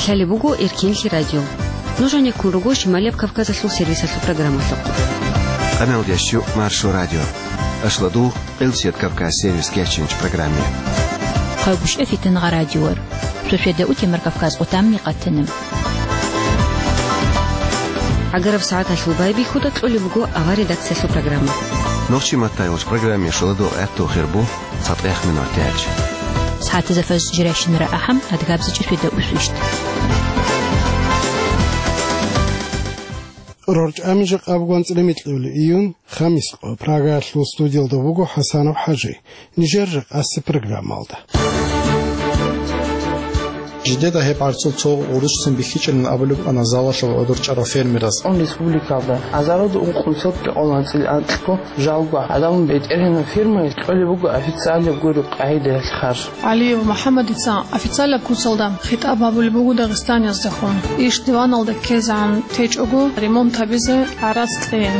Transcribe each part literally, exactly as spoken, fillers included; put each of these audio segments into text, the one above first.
Лъалеб буго Эркенлъи радио. Нуж гьанеккун руго Шималияб Кавказалъул сервисалъул программалъухъ. Къамел дящу Маршо радио. Ашладу Къилсият Кавказ сервис кечинч программе. Хъайгушев Фитангъа радиор. Сосведа утемар Кавказ отамни къатанем. Агараб сагӀаталъул байбихьуда кьолеб буго авар редакциялъул программа. Нохчи маттайулч программе шуладу гӀатту хирбу. ЦатӀех минут тяч. СагӀатазда фаз жиращинара ахӀам, адгабзичӀеб светда усвищ. РорчӀами жакъа буган цӀилемикьули июн, хамис къо. Прагаялъул студиялда буго ХӀасанов ХӀажи. Нижер жакъаси программалда. Жидеда гьеб гӀарцул цо гъурущцин бихьичӀилан абулеб ана залалъул гӀодор чӀарав фермерас. Он республикалда азаруда ункънусел кьолан цӀил анкьго жалго гӀадамал бетӀергьанаб фермаялъ кьолеб буго официалаб гуреб къагӀидаялъ харж. ГӀалиев МухӀаммадица официалаб куцалда хитӀаб гьабулеб буго дагъистаниязда хун. Иш диваналда ккезегӀан течӀого ремонт гьабизе гӀарац кьейин.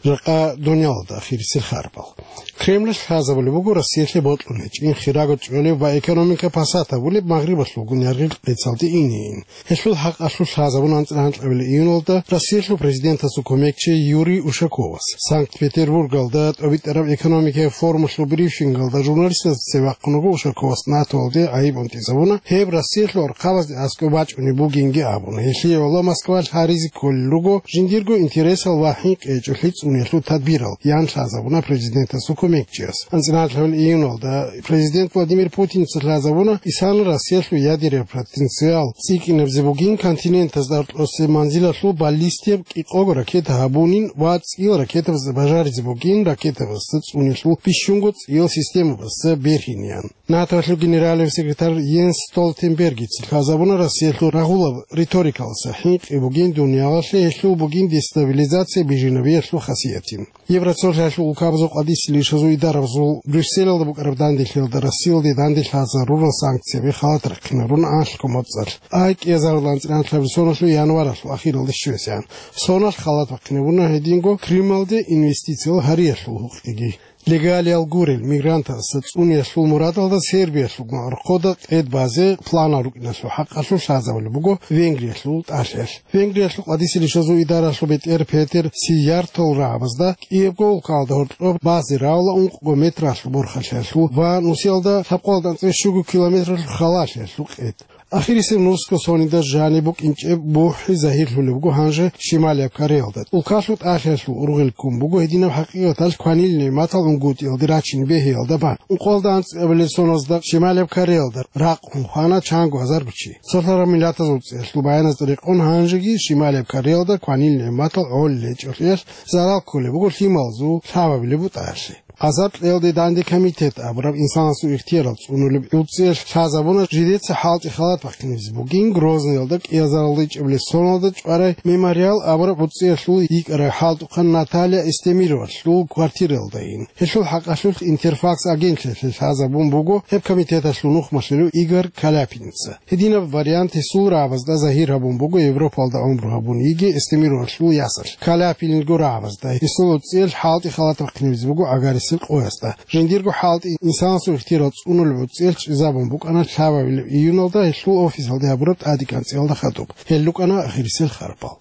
Жакъа дунялалда ахирисел харбал. Кремлалъ лъазабулеб буго Россиялъе бокьун гьечӀин, хирого чӀолеб ва экономика пасат гьабулеб Магърибалъулгун яргъил къецалде инейин. Гьелъул хӀакъалъулъ лъазабун анцӀила гьанкьабилеб июналда Россиялъул президентасул кумекчи Юрий Ушаковас. Санкт-Петербургалда тӀобитӀараб экономикаяб форумалъул брифингалда журналистазда цеве вахъун вуго Ушаковас НАТОялде гӀайиб унтӀизабуна, гьеб Россиялъул архъабазде аскӀоб бачӀунеб бугинги абун. Гьелъие гӀоло Москвалъ гьаризе кколел руго жиндирго интересал ва хӀинкъи гьечӀолъи цӀуниялъул тадбирал, ян лъазабуна президентасул кумекчияс. АнцӀила гьанкьабилеб июналда президент Владимир Путинца лъазабуна, исана Россиялъул ядераб потенциал цӀикӀкӀинабизе бугин, континентазда аркьосеб манзилалъул баллистияб кӀикъого ракета гьабунин ва цӀиял ракетабазда бажаризе бугин, ракетабазда цӀуниялъул бищунго цӀиял системабазда бергьинеян. НАТОялъул генералияб секретарь Йенс Столтенбергица лъазабуна, Россиялъул рагъулаб риторикалдаса хӀинкъи бугин дуниялалъе, гьелъул бугин дестабилизация бижинабиялъул хасиятин. Евросоюзалъул улкабазул къадисел ишазул идарабазул Брюсселалда букӀараб данделъиялда Россиялде данделъ гьазарурал санкцияби халат рахъинарун анлъго моцӀалъ. Ай кӀиазарулан цӀинанлъабил соналъул январалъул ахиралде щвезегӀан. Соналъ халат бахъинабуна гьединго Крымалде инвестициял гьариялъул гьукъиги. Легалиял гурел мигрантазда цӀуниялъул мурадалда Сербиялъул гӀорхъода къед базе планал рукӀиналъул хӀакъалъулъ лъазабулеб буго Венгриялъул тӀалъиялъ. Венгриялъул къадисел ишазул идаралъул бетӀер Петер Сияртол рагӀабазда кӀиябго улкалда гьоркьоб базе равла ункъго метралъул борхалъиялъул ва нусиялда лъабкъоялда анцӀила щуго километралъул халалъиялъул къед. Ахирисеб нусго сонида жаниб букӀинчӀеб бухӀи загьирлъулеб буго гьанже Шималияб Кореялда. Улкалъул тӀалъиялъул ургъел ккун буго гьединаб хӀакъикъаталъ кванил нигӀматал унгутӀиялде рачин бегьиялда бан. Ункъоялда анцӀабилеб соналда Шималияб Кореялда ракъун хвана чанго гьазарго чи. Цолъараб миллатазул цӀеялъул баяназда рекъон гьанжеги Шималияб Кореялда кванил нигӀматал гӀолеб гьечӀолъиялъ зарал кколеб буго лъималазул, лъабабилеб бутӀаялъе. Азар кьеялде данде комитет абураб инсанасул ихтиярал цӀунулеб гӀуцӀиялъ лъазабуна жидеца хӀалтӀи халат бахъинабизе бугин Грозныйалда кӀиазарулда ичӀабилеб соналда чӀварай Мемориал абураб гӀуцӀиялъул йикӀарай хӀалтӀухъан Наталья Эстемировалъул квартиралдайин. Гьелъул хӀакъалъулъ Интерфакс агентлъиялъе лъазабун буго гьеб комитеталъул нухмалъулев Игорь Каляпинца. Гьединаб вариант гьесул рагӀабазда загьир гьабун буго Европалда гӀумру гьабун йиги Эстемировалъул ясалъ. Каляпинилго рагӀабазда гьесул гӀуцӀиялъ хӀалтӀи халат бахъинабизе буго агарисел къоясда. Жиндирго хӀалтӀи инсанасул ихтиярал цӀунулеб гӀуцӀиялъ чӀезабун букӀана лъабабилеб июналда гьелъул офисалде гьабураб тӀадегӀанцӀиялда хадуб. Гьел рукӀана ахирисел харбал.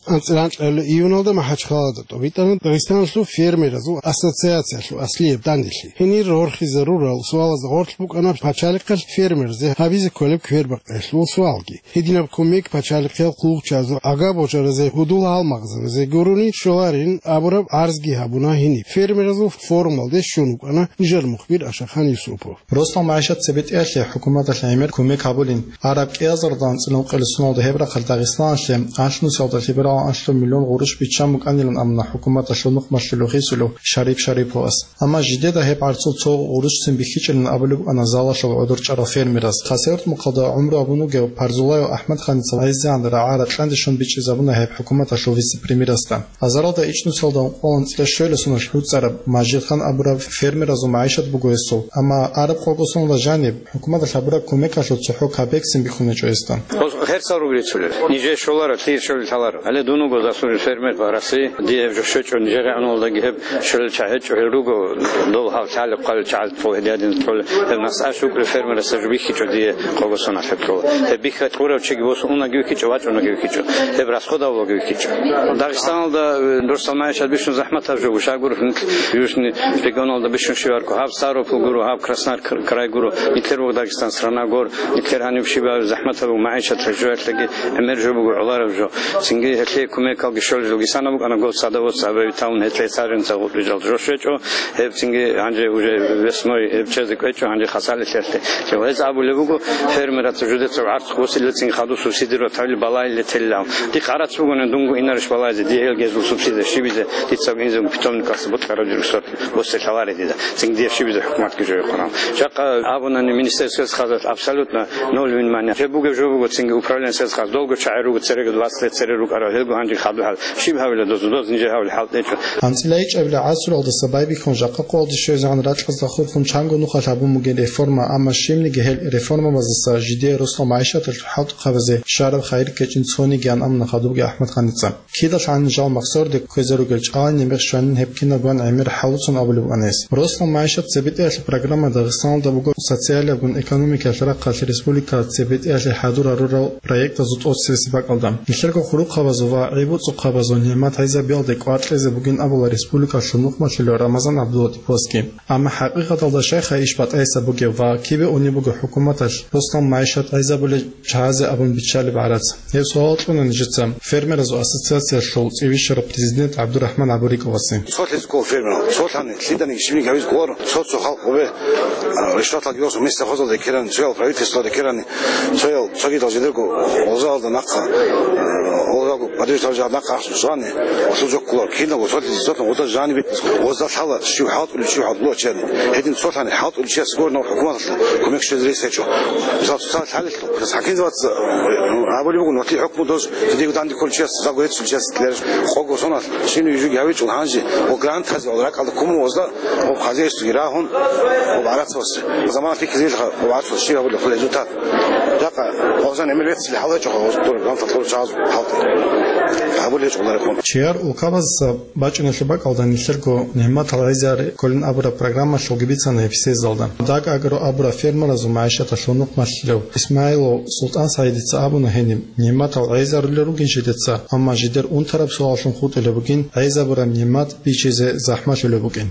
АнцӀила гьанкьабилеб июналда МахӀачхъалада тӀобитӀана Дагъистаналъул фермеразул ассоциациялъул аслияб данделъи. Гьенир рорхизарурал суалазда гъорлъ букӀана пачалихъалъ фермерзе гьабизе кколеб квербакъиялъул суалги. Гьединаб кумек пачалихъиял хъулухъчӀвазе, агар божаразе гьудул гьалмагъзабизе гурони щоларин абураб гӀарзги гьабуна гьениб. Фермеразул форумалде щун вукӀана нижер мухбир Ашахан Юсупов. Росдал магӀишат цебетӀеялъе хӀукуматалъ гӀемер кумек гьабулин. Араб кӀиазарулда анцӀила ункъоялда соналда гьеб рахъалъ Дагъистаналъе анлънусиялда лъебералан анлъго миллион гъурущ биччан букӀанилан абуна хӀукуматалъул нухмалъулев хисулев Шарип Шариповас. Амма жидеда гьеб гӀарцул цо гъурущцин бихьичӀилан абулеб букӀана залалъул гӀодор чӀарав фермерас. Хасавюрт мухъалда гӀумру гьабун вугев Парзулаев АхӀмад-ханница гӀайзегӀан рагӀа ракьанде щун бичӀчӀизабуна гьеб хӀукуматалъул вице-премьерасда. Азаралда ичӀнусиялда ункъоялда анцӀила щуялда соналъ гӀуцӀараб Мажидхан абураб фермеразул магӀишат буго гьесул. Амма араб къого соналда жаниб, хӀукуматалъ гьабураб кумекалъул цохӀо капексин бихьун гьечӀо гьесда. Гьерсал ругел цолел. Нижер щоларо, лъие щолел лъаларо. Гьале Дун вуго заслуженный фермер по России, дие гьеб жо щвечӀо, Нижер районалдаги гьеб щолел чагӀи гьечӀо, гьел руго, дол гьав лъалеб хъвалел чагӀал цо гьедиадин цолел, гьел насӀа щукӀулев фермерасда жо бихьичӀо дие къого соналъ гьеб кьола. Гьеб бихьа кьурав чиги босун унаги вихьичӀо, вачӀунаги вихьичӀо, гьеб расходавлъунги вихьичӀо. Дагъистаналда, э, росал магӀишат бищун захӀматаб жо гуш, агур нилъ южный регионалда бищун щибарго, гьаб Ставрополь гуро, гьаб Краснодар кр-, край гуро, нилъер вуго Дагъистан страна гор, нилъер гьаниб щибаб захӀматаб магӀишат жоялъеги гӀемер жо буго гӀолареб жо. Цинги гьелъие кумекалги щолел жо гисана букӀана, гол садоводство гьабизе тавун гьелъие саженцал гъутӀбижал жо щвечӀо, гьеб цинги гьанже уже весной гьеб чезе кӀвечӀо, гьанже хасалилъелъе. Гьез абулеб буго, фермерацав жидецав гӀарцухъ босилелцин хадуб субсидировать гьабили балагьиле телилан. Дихъ гӀарац бугони дунго инарищ балагьизе, дие гьел гьезул субсидия щибизе, дица инзего питомникалъе бокьараб жо сорт боссе лъаларе дида. Цинги дие щибизе хӀукуматги жо гьехъорал. Жакъа абунани министерство сельского хозяйства абсолютно ноль внимания. Гьеб бугеб жо буго цинги управление сельского хозяйства. Долго чагӀи руго, цереги двадцать лет цере рукӀарал, гьелго гьанже хадуб хӀал. Щиб гьавила доз, доз нижер гьавил хӀалтӀичӀо. АнцӀила ичӀабилеб гӀасуралдаса байбихьун жакъа къоялде щвезегӀан ракьазда хурхун чанго нухалъ гьабун бугеб реформа, амма щибниги гьел реформабаздаса жидее росал магӀишаталъул хӀалтӀухъабазе щвараб хайир ккечӀин цонигиян амуна хадубги АхӀмад-Ханица. Кидалъани жал махсарде кквезе ругел чӀалани мех щванин гьеб кинабган гӀемер хӀалуцун абулеб букӀана гьес. Росал магӀишат цебетӀеялъе программа Дагъистаналда буго социалиябгун экономикаялъ рахъалъ республикалъ цебетӀеялъе хӀадур гьарурал проектазул тӀоцебесеб бакӀалда. Нилъерго хурухъабазул ва гӀеббуцӀухъабазул нигӀмат гӀезабиялде кӀвар кьезе бугин абула республикалъул нухмалъулев Рамазан ГӀабдуллатиповасги. Амма хӀакъикъаталда щайха иш батӀайса бугеб ва кибе унеб буго хӀукуматалъ росал магӀишат гӀезабулел чагӀазе абун биччалеб гӀарац? Гьеб суал кьуна нижеца фермеразул ассоциациялъул цӀибищараб президент ГӀабдурахӀман ГӀабурикӀовасе. Цолъизе ккола фермерал, цолъани лъиданиги щибниги гьабизе кколаро, цо-цо халкъ гьебе, а, ришваталги росу места хозалда ккерани, цоял правительствалда ккерани, цоял цогидал жидерго гъозалда нахъа, а, гъозалго подвижтал жагьад нахъа ахъсу швани, гъозал жо кколаро, киналго цолъизе цолъан гъозал жаниб битӀис, гъозда лъала щив хӀалтӀулев, щив хӀалтӀулев чияни. Гьедин цолъани хӀалтӀулев чияс гуро нав хӀукуматалъул кумек щвезе рес гьечӀо. Мисал, цоцазда лъалелъул, хӀакимзабаца, э, абулеб буго, нугӀлъи хӀукму дож, жидего данде кколев чияс, жаго гьецӀулев чияс лераш къого соналъ, щиб-щиб жуги гьавичӀо гьанже, ва грантазе, ва ракӀалда куму гъозда, ва хозяйствоги рагьун, ва гӀарацасе. Замана лъикӀлъизелха, ва гӀарцул щиб гьабулеб хъула результат. Жакъа гъозан гӀемер веццили хӀал гьечӀо, гъоз дур грантал кколел чагӀаз хӀалтӀи. Гьабулеб гьечӀо гьунарехун. Чияр улкабазаса бачӀуналъул бакӀалда нилъерго нигӀматал гӀезаре кколин абураб программалъулги бицана гьеб съездалда. Даг Агро абураб фермеразул магӀишаталъул нухмалъулев ИсмагӀилов СултӀан-СагӀидица абуна гьениб, нигӀматал гӀезарулел ругин жидеца, амма жидер унтараб суаллъун хутӀулеб бугин гӀезабураб нигӀмат бичизе захӀмалъулеб букӀин.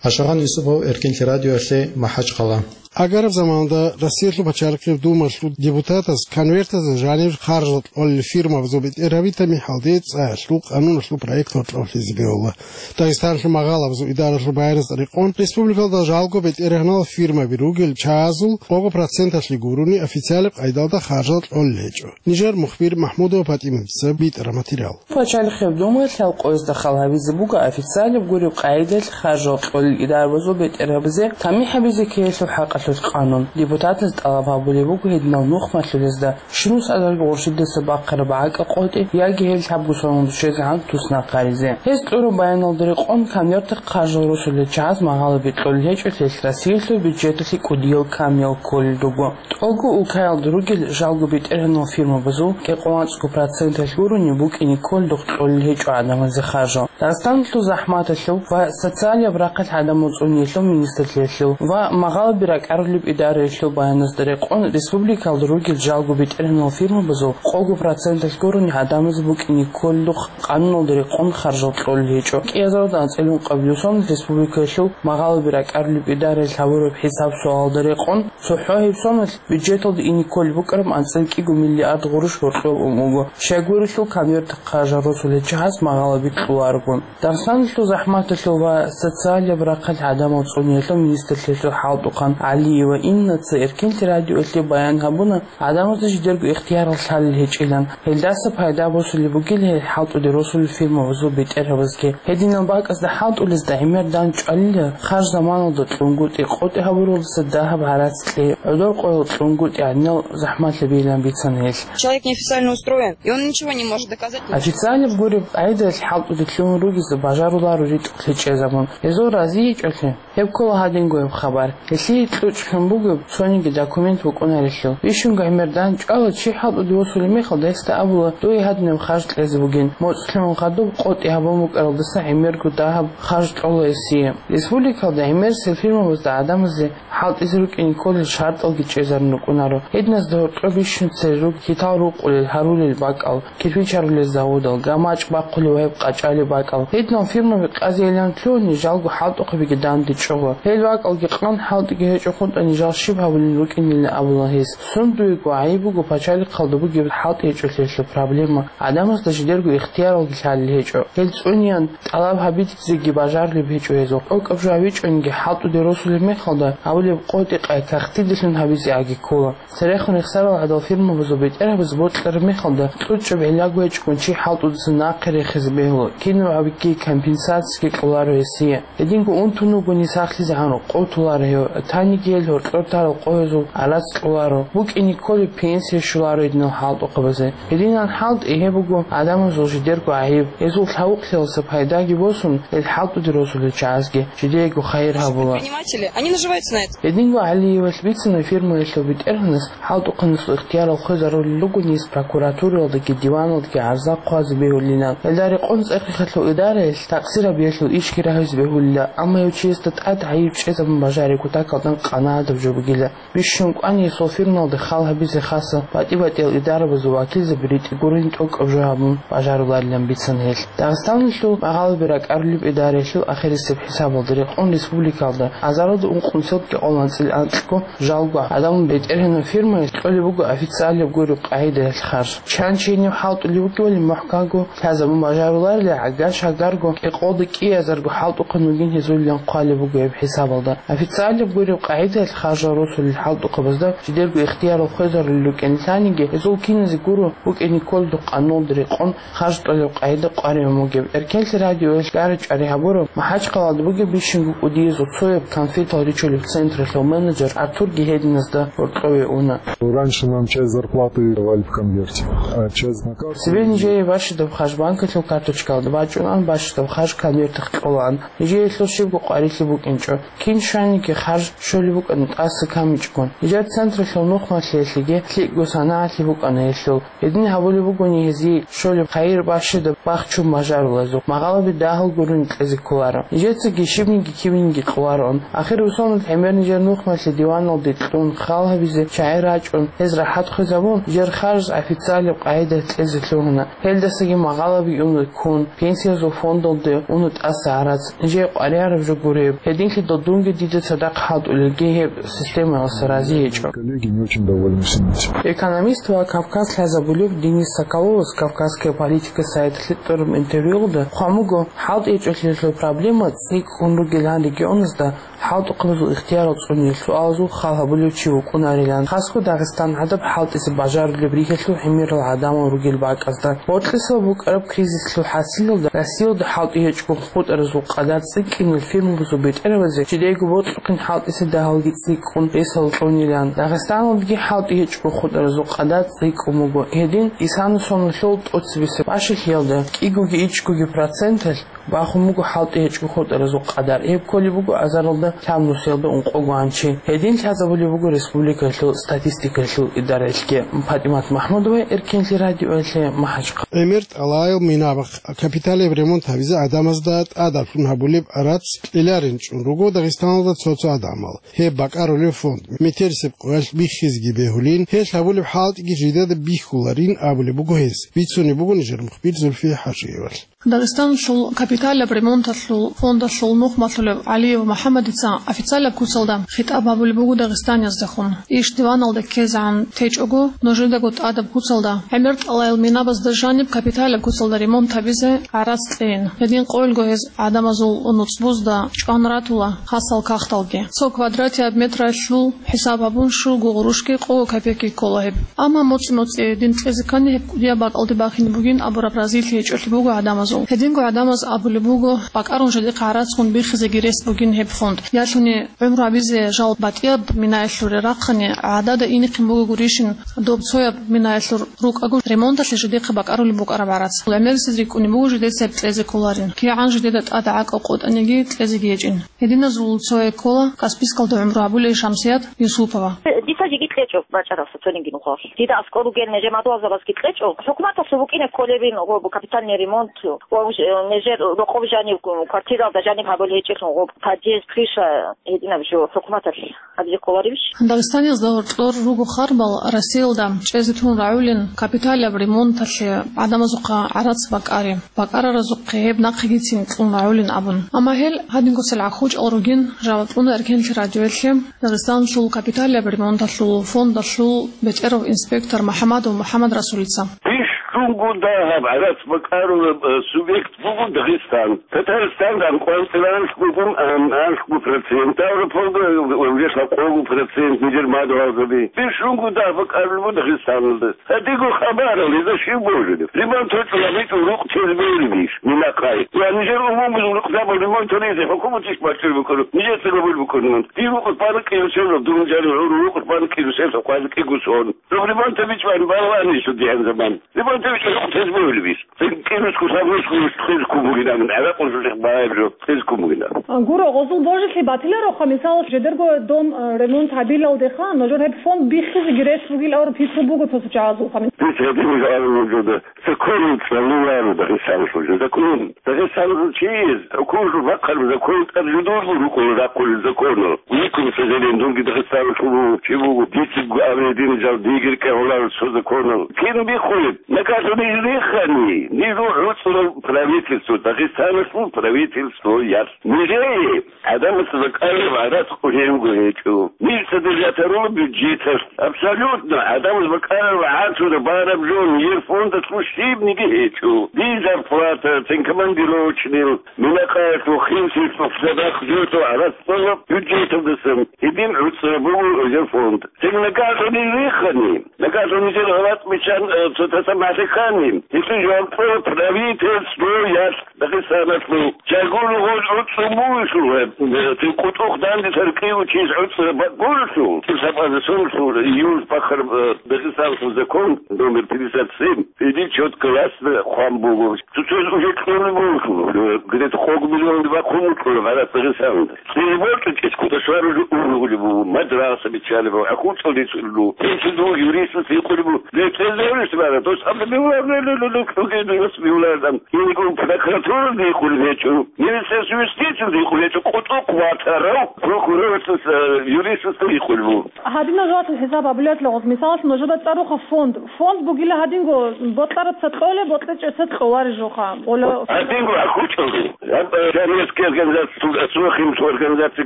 Ашагъан Юсупов, Эркинлъи радиоялъе, МахӀачхъала. Агараб заманалда Россиялъул пачалихъияб Думалъул депутатаз конвертазда жаниб харжал кьолел фирмабазул бетӀергьаби тамихӀалде цӀаялъул къануналъул проект гьоркьоб лъезе бегьула. Дагъистаналъул магъалабазул идаралъул баяназда рекъон, республикалда жалго бетӀергьанал фирмаби ругел чагӀазул къого проценталъе гурони официалаб къайдалда харжал кьолел гьечӀо. Нижер мухбир МахӀмудова ПатӀиматица битӀараб материал. Пачалихъияб Думаялъ гьал къоязда хал гьабизе буго официалаб гуреб къайдалъ харжал кьолел идарабазул бетӀергьабазе тамихӀ гьабизе ккеялъул хӀакъалъулъ къанун. Депутатаз тӀалаб гьабулеб буго гьединал нухмалъулезда щинус азарго гъурщидаса бахъараб гӀакӀа къотӀи яги гьел лъабго соналда щвезегӀан туснахъ гьаризе. Гьез кьураб баяналда рекъон, конвертахъ харжал росулел чагӀаз магъалаби кьолел гьечӀо, лъелъ Россиялъул бюджеталъе кӀудиял камиял кколел руго. ТӀолго улкаялда ругел жалго бетӀергьанал фирмабазул кӀикъоялда цӀакъго проценталъ гурони букӀине кколел рухъ кьолел гьечӀо гӀадамазе харжал. Дагъистаналъул захӀматалъул ва социалияб рахъалъ гӀадамал цӀуниялъул министрлъиялъул ва магъалаби ракӀарулеб идараялъул баяназда рекъон, республикалда ругел жалго бетӀергьанал фирмабазул къого проценталъ гурони гӀадамазе букӀине кколел рухъ къануналда рекъон харжал кьолел гьечӀо. КӀиазарда анцӀила ункъабилеб соналъ республикалъул магъалаби ракӀарулеб идараялъ гьабураб хӀисаб-суалда рекъон, цохӀо гьеб соналъ бюджеталда ине кколеб букӀараб анцӀила кӀиго миллиард гъурущ гьоркьоб ун буго, щайгурелъул конвертахъ харжал росулел чагӀаз магъалаби кьоларого. Дагъистаналъул захӀматалъул ва социалияб рахъалъ гӀадамал цӀуниялъул министрлъиялъул хӀалтӀухъан ГӀалиева Иннаца Эркинлъи радиоялъе баян гьабуна, гӀадамазда жидерго ихтияр лъалел гьечӀилан, гьелдаса пайда босулеб бугел гьел хӀалтӀуде росулел фирмабазул бетӀергьабазги. Гьединал бакӀазда хӀалтӀулезда гӀемер дандчӀвалила харж заманалда кьунгутӀи къотӀи гьабуралдаса дагьаб гӀарац кьей, гӀодор къоял кьунгутӀи гьадинал захӀматлъи бегьилан бицана гьелъ. Человек неофициально устроен, и он ничего не может доказать. Официалаб гуреб къайдалъ хӀалтӀуде лъугьун ругезда бажаруларо ритӀухълъи чӀезабун. Гьезул разиечӀолъи, гьеб ккола гьадинго гьеб хабар. Гьелъие кьучӀлъун бугеб цониги документ букӀунарелъул. Бищунго гӀемер данчӀвала чи хӀалтӀуде восулеб мехалда гьесда абула дуе гьадинаб харж кьезе бугин. МоцӀлъун хадуб къотӀи гьабун букӀаралдаса гӀемерго дагьаб харж кьола гьесие. Республикалда гӀемерисел фирмабазда гӀадамазе хӀалтӀизе рукӀине кколел шартӀалги чӀезарун рукӀунаро. Гьединазда гьоркьоб бищун цере руго хьитал рукъулел, гьарулел бакӀал, кирпич гьарулел заводал, гамачӀ бахъулеб ва гьеб къачӀалеб бакӀал. Гьединал фирмаби къазейилан лъугьуни, жалго хӀалтӀухъабиги данде чӀого. Гьел бакӀалги къан, хӀалтӀиги гьечӀо хутӀани, жал щиб гьабулин рукӀинилан абула гьес. Сундуего гӀайиб буго пачалихъалда бугеб хӀалтӀи гьечӀолъиялъул проблема. ГӀадамазда жидерго ихтияралги лъалел гьечӀо. Гьел цӀунеян тӀалаб гьабизеги бажарулеб гьечӀо гьезухъ. ТӀокӀаб жо гьабичӀониги, хӀалтӀуде росулеб мехалда гьабулеб къотӀи-къай кагътидалъун гьабизе аги ккола. Церехун рехсарал гӀадал фирмабазул бетӀергьабаз бокьараб мехалда, кьучӀаб гӀиллаго гьечӀогун чи хӀалтӀудаса нахъе рехизе бегьула, кинаб гьабиги компенсациги кьоларо гьесие. Гьединго унтун вугони сахлъизегӀан къо толаро гьев, таниги гьел гьоркьор тарал къоязул гӀарац кьоларо, букӀине кколеб пенсия щоларо гьединал хӀалтӀухъабазе. Гьединан хӀалтӀи гьеб буго гӀадамазул жидерго гӀайиб, гьезул лъавукълъиялдаса пайдаги босун, гьел хӀалтӀуде росулел чагӀазги жидеего хайир гьабула. Предприниматели, они наживаются на этом. Гьединго ГӀалиевалъ бицана фирмаялъул бетӀергьанас хӀалтӀухъанасул ихтиярал хвезарулел ругони гьес прокуратураялдаги диваналдаги гӀарза хъвазе бегьулилан. Гьелда рекъон цӀехихъалъул идараялъ такъсир гьабиялъул ишги рагьизе бегьулила, амма гьев чиясда тӀад гӀайиб чӀезабун бажари кутакалдан къанагӀадаб жо бугила. Бищун кӀвани гьесул фирмалда хал гьабизе хаса батӀи-батӀиял идарабазул вакилзаби ритӀи гурин тӀокӀаб жо гьабун бажаруларилан бицана гьелъ. Дагъистаналъул магъалаби ракӀарулеб идараялъул ахирисеб хӀисабалда рекъон республикалда азаралда ункънусиялдги гӀоланцӀил анкьго жалго гӀадамал бетӀергьанаб фирмаялъ кьолеб буго официалияб гуреб къагӀидаялъ харж. Чан чи гьенив хӀалтӀулев вугевали мухӀканго лъазабун бажаруларила, гӀагар-шагарго, кӀикъоялда кӀиазарго хӀалтӀухъан вугин гьезулилан хъвалеб буго гьеб хӀисабалда. Официалияб гуреб къагӀидаялъ харжал росулел хӀалтӀухъабазда жидерго ихтиярал хвезарулел рукӀине лъаниги, гьезул киназе гуро букӀине кколеб къануналда рекъон харж кьолеб къагӀида къваригӀун бугеб. Эркенлъи радиоялъ гьари-чӀвари гьабуро МахӀачхъалада бугеб бищунго кӀудияз цояб конфетал ричулеб централъул менеджер Артурги гьединазда гьоркьове уна. Раньше нам часть зарплаты давали в конверте, а часть на карту. Цебе нижее бащадаб харж банкалъул карточкалда бачӀунан, бащадаб харж конвертах кьолаан. Нижеелъул щибго къварилъи букӀинчӀо. Кин щваниги харж щолеб букӀана тӀаса камичӀгун. Нижер централъул нухмалъиялъеги лъикӀго санагӀалъи букӀана гьелъул. Гьедин гьабулеб бугони гьезие щолеб хайир бащадаб бахчун бажарулазухъ, магъалаби дагьал гурони кьезе кколаро. Нижецаги щибниги кибниги кьолароан. Ахир русалалъ гӀемер нижер нухмалъи диваналде кьун, хал гьабизе чагӀи рачӀун, гьез рахӀат хвезабун, нижер харж официалияб къагӀидаялъ кьезе лъугьуна. Гьелдасаги магъалаби уна ккун, пенсиязул фондалде уна тӀаса гӀарац. Нижее къваригӀараб жо гуреб. Гьединлъидал дунги дида цадахъ хӀалтӀулелги гьеб системаялдаса рази гьечӀо. Коллеги не очень довольны всем этим. Экономист ва Кавказ лъазабулев Денис Соколовас «Кавказская политика» сайталъе тӀураб интервьюялда хъван буго, хӀалтӀи гьечӀолъиялъул проблема цӀикӀкӀун ругелан регионазда хӀалтӀухъабазул ихтиярал цӀуниялъул суалазул хал гьабулев чи вукӀунарилан, хасго Дагъистан гӀадаб хӀалтӀизе бажарулеб ригьалъул гӀемерал гӀадамал ругел бакӀазда. Бокьисал букӀараб кризислъул хӀасилалда Россиялда хӀалтӀи гьечӀого хутӀаразул къадар цӀикӀкӀинал фирмабазул бетӀерабазе жидейго бокьухъин хӀалтӀизе дагьалги цӀикӀкӀун ресал кьунилан. Дагъистаналдаги хӀалтӀи гьечӀого хутӀаразул къадар цӀикӀкӀун буго. Гьедин, исана соналъул тӀоцебесеб бащалъиялда кӀигоги ичӀгоги проценталъ бахун буго хӀалтӀи гьечӀого хутӀаразул къадар. Гьеб кколеб буго азаралда лъабнусиялда ункъого гьанчи. Гьедин лъазабулеб буго республикаялъул статистикаялъул идараялъги. ПатӀимат МахӀмудова, Эркенлъи радиоялъе, МахӀачхъала. ГӀемер тӀалаял минаб капиталияб ремонт гьабизе гӀадамазда тӀадаб лъун гьабулеб гӀарац кьеларин чӀун руго Дагъистаналда цо-цо гӀадамал. Гьеб бакӀарулев фонд метерисеб къоялъ биххизеги бегьулин, гьелъ гьабулеб хӀалтӀиги жидеда бихьуларин абулеб буго гьес, бицунеб буго нижер мухбир Зульфия ХӀажиевалъ. Дагъистаналъул капиталаб ремонталъул фондалъул нухмалъулев ГӀалиев МухӀаммадица официалаб куцалда хитӀаб гьабулеб буго дагъистанияздехун. Иш диваналда ккезегӀан течӀого, нужедаго тӀадаб куцалда, гӀемер тӀалаял минабазда жаниб капиталаб куцалда ремонт гьабизе гӀарац кьейин. Гьедин къойилго гьез гӀадамазул нуцӀбузда чӀван ратула хасал кагъталги. Цо квадратияб метралъул хӀисаб гьабун, щуго гъурущги къого копейки ккола гьеб. Амма моцӀи-моцӀи гьедин кьезе ккани, гьеб кӀудияб бакӀалде бахине бугин абураб разилъи гьечӀолъи буго гӀадамазул. Гьединго гӀадамаз аб- Гьулеб буго, бакӀарун жидехъа гӀарацгун бихизеги рес бугин гьеб фонд. Ялъуни гӀумру гьабизе жал батӀияб минаялъуре рахъани, гӀадада инехъин буго гурищин, доб цояб минаялъур рукӀаго ремонталъе жидехъа бакӀарулеб букӀараб гӀарац. ГӀемерисез рикӀкӀунеб буго жидеца гьеб кьезе кколарин. КигӀан жидеда тӀад гӀакӀал къотӀаниги кьезеги гьечӀин. Гьединазул цое ккола Каспийскалда гӀумру гьабулей Шамсият Юсупова. Дица жеги кьечӀо бачӀарасда цониги нухалъ. Дида аскӀор ругел нижер мадугьалзабазги кьечӀо. ХӀукуматалъул букӀине кколебин гъоб капитальный ремонт, ва уж, э, нижер рокъоб жанив, квартиралда жанив гьабулеб гьечӀелъун гъоб подъезд, крыша гьединаб жо хӀукуматалъ гьабизе кколаребищ? Дагъистаниязда гьоркьор руго харбал Россиялда чӀезе тун рагӀулин капиталияб ремонталъе гӀадамазухъа гӀарац бакӀари. БакӀараразухъе гьеб нахъегицин кьун рагӀулин абун. Амма гьел гьадинго цел гӀахьучӀал ругин, жаваб кьуна Эркенлъи радиоялъе Дагъистаналъул капиталияб ремонталъул фондалъул бетӀерав инспектор МухӀамадов МухӀамадрасулица. Бищунго дагьаб гӀарац бакӀарураб, э, субъект буго Дагъистан. Татарстан ан кӀванцӀила анлъго, ан-, анлъго процент, Ставрополда, э, вешла къого процент нижер мадугьалзаби. Бищунго дагь бакӀарулеб буго Дагъистаналда. Гьадинго хабарал, гьезда щив божулеб? Ремонт гьечӀо, гьабичӀо, рукъ тезе бегьулебищ, минахъай? Я нижер умумузул рукъзабал ремонт гьаризе хӀукуматищ бачӀун букӀараб? Нижеца гьабулеб букӀун ремонт. Дир рукъ рукъ бан кӀирусел, дун жанив гӀуру рукъ рукъ бан кӀирусел, хӀукъазе кӀиго сон. Доб ремонт гьабичӀ бан балагьанищ дигӀан заман. Ремонт гьабичӀо, рукъ тезе бегьулебищ? Цин кӀирусго сабрусго хез ккун бугилан, гӀаракъун жо чехъ багьаяб жо хез ккун бугилан. А, гуро, гъозул божилъи батилароха, мисал, жидерго дом, а, ремонт гьабилалдеха, нужер гьеб фонд биххизеги рес бугил авр пикру буго цо-цо чагӀазулха. Бис гьадин жо абун нужеда. Законал цӀалуларо Дагъистаналъул жо. Закон. Дагъистаналъул чияс, хӀукуматалъул бахъараб закон тӀад жидерго рукӀуна рахъулел законал. Викун сажален, дунги Дагъистаналъул вугев чи вуго, дицего аб гьедин жал дигир ккегьуларо цо законал. Кин биххулеб? Накалъуни рихани, нижул гӀуцӀрул правительство, Дагъистаналъул правительствоялъ. Нижее гӀадамаца бакӀараб гӀарац къулей вуго гьечӀо. Ниж содержать гьарула бюджеталъ. Абсолютно гӀадамаца бакӀараб гӀарац бараб жо нижер фондалъул щибниги гьечӀо. Дир зарплата, цин командировочный, минахъаялъул, хинлъиялъул, садахъ жо гӀарац кьола бюджеталдасан. Гьедин гӀуцӀраб буго нижер фонд. Цин накалъуни рихани, накалъуни нижер гъалатӀ биччан, э, цо таса махӀлихъани, гьелъул жаваб кьола правительствоялъ Дагъистаналъул. Чагул гъол гӀуцӀун бугелъул, э, цин къутӀухъ данде таркъи учияс гӀуцӀраб бакӀ гурелъул, цин сабаза сонлъул июль бахъараб, э, Дагъистаналъул закон номер пятьдесят семь, гьедин четко ясно хъван буго. Цоцазе уже кьолеб буго, э, где-то къого миллионде бахъун букӀуна гӀарац Дагъистанда. Цебе бокьичӀеб кутакалда уже ургъулеб буго, мадраса биччалеб буго, ахӀулцӀал рицӀулеб буго. Гьелъул буго юристас гьикъулеб буго. Ле, цезе гьорис бара, дос абда бивлар, ле, ле, ле, ле, кьуге дос бивлардан. Гьелъул прокуратуралда гьикъулеб гьечӀо, министерство юстициялда гьикъулеб гьечӀо, къутӀухъ ватарав прокурорасда, э, юристасда гьикъулеб буго. Гьадинаб жоялъул хӀисаб гьабулеб гъоз. Мисалалъ, нужеда цӀаруха фонд. Фонд бугила гьадинго бокьараб цо кьолеб, бокьичӀеб цо кьолареб жоха. Гьадинго ахӀучӀалде. Гьаб, э, журналистский организация, асухимцу организация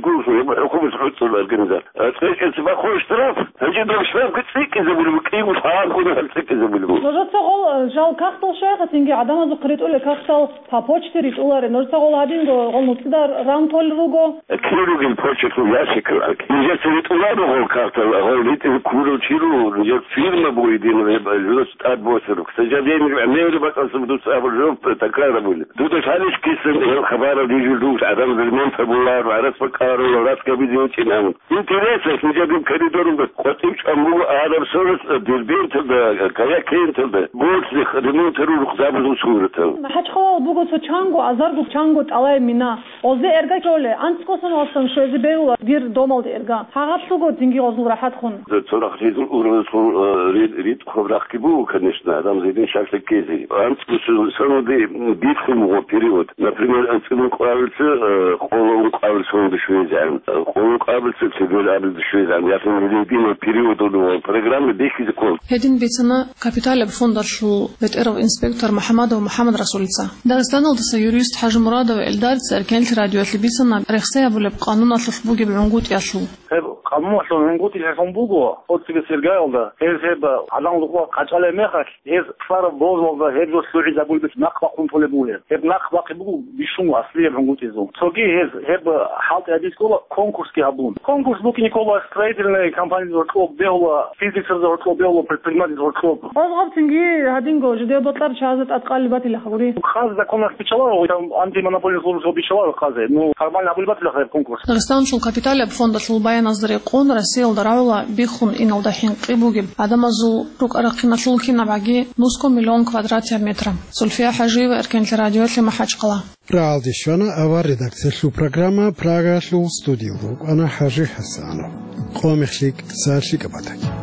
гурсу, гьаб хӀукумат хӀуцӀул организация. Э, цӀикӀкӀинци бахъун штраф. Гьанже доб штрафги цӀикӀкӀинабулеб, кӀиго лъабгун гьаб цӀикӀкӀинабулеб. Нужеца гъол, э, жал кагътал щвеха, цинги гӀадамазухъ ритӀулел кагътал по почте ритӀуларе. Нужеца гъол гьадинго, гъол нуцӀида ран толел руго. Кир ругел почталъул ящикал. Нижеца ритӀуларо гъол кагътал, гъол ритӀизе ккурав чи руго, нижер фирма буго гьедин, гьеб журас тӀад босараб. К сожалению, гӀемераб бакӀалъуб дуца абулеб жо такрар гьабулеб. Дуда лъалищ кисан гьел хабарал рижулъул, гӀадамаз ремонт гьабуларо, гӀарац бакӀаро, гӀарац гьабизе гьечӀин абун. Интересно, нижер коридоралда къватӀив чӀван буго араб сорос Дербенталда, Каякенталда, гьоркьоб ремонт гьарурухъ забазул суратал. МахӀачхъалал буго цо чанго, азарго чанго тӀалай мина. Гъозде эрга кколе, анцӀго соналдасан щвезе бегьула дир домалде эрга. Гьагъаблъуго цинги гъозул рахӀатхун. Цо рахъ ризул ургъазул, э, ри-, ритӀухъаб рахъги буго, конечно, гӀадамаз гьедин щаклъи ккезе. АнцӀго сон-, соналде биххун буго период. Например, анцӀила ункъабилеб, э, къоло ункъабилеб соналде щвезегӀан, э, къоло ункъабилеб цебе абилеб щвезегӀан. Яхин гьединаб период буго, программа бихьизе ккола. Гьедин бицана капиталияб фондалъул бетӀерав инспектор МухӀамадов МухӀамадрасулица. Дагъистаналдаса юрист ХӀажимурадов Эльдарица Эркенлъи радиоялъе бицана рехсей гьабулеб къануналъулъ бугеб гӀунгутӀиялъул. Гьеб Къамуналъул гьунгутӀил гьелъун буго, оцебе Сергаялда, гьез гьеб гӀадан лукъа къачӀалеб мехалъ, гьез цӀар бозалда гьеб жо лъугӀизабулеб нахъ бахъун толеб бугеб. Гьеб нахъ бахъи буго бищун аслияб гьунгутӀизул. Цоги гьез гьеб хӀалтӀи гьабиз ккола конкурсги гьабун. Конкурс букӀине ккола строительный компаниялъул гьоркьоб бегьула, физикзабазул гьоркьоб бегьула, предпринимательзабазул гьоркьоб. Къозгъабцинги гьадинго жидее бокьараб чагӀазда тӀадкъалеб батила гьабури. Хъаз законалъ биччаларо, там антимонопольный службаялъ биччаларо хъазе. Ну, формально гьабулеб батила гьеб конкурс. Дагъистаналъул капиталияб фондалъул баяназда рекъон Россиялда рагӀула биххун иналда хӀинкъи бугеб гӀадамазул рукӀа-рахъиналъул кинабгӀаги нусго миллион квадратия метра. Зульфия ХӀажиева, Эркенлъи радиоялъе, МахӀачхъала. РагӀалде щвана авар редакциялъул программа, Прагаялъул студиялда вукӀана ХӀажи ХӀасанов. Къо мехлъи киса лъикӀаб батаги.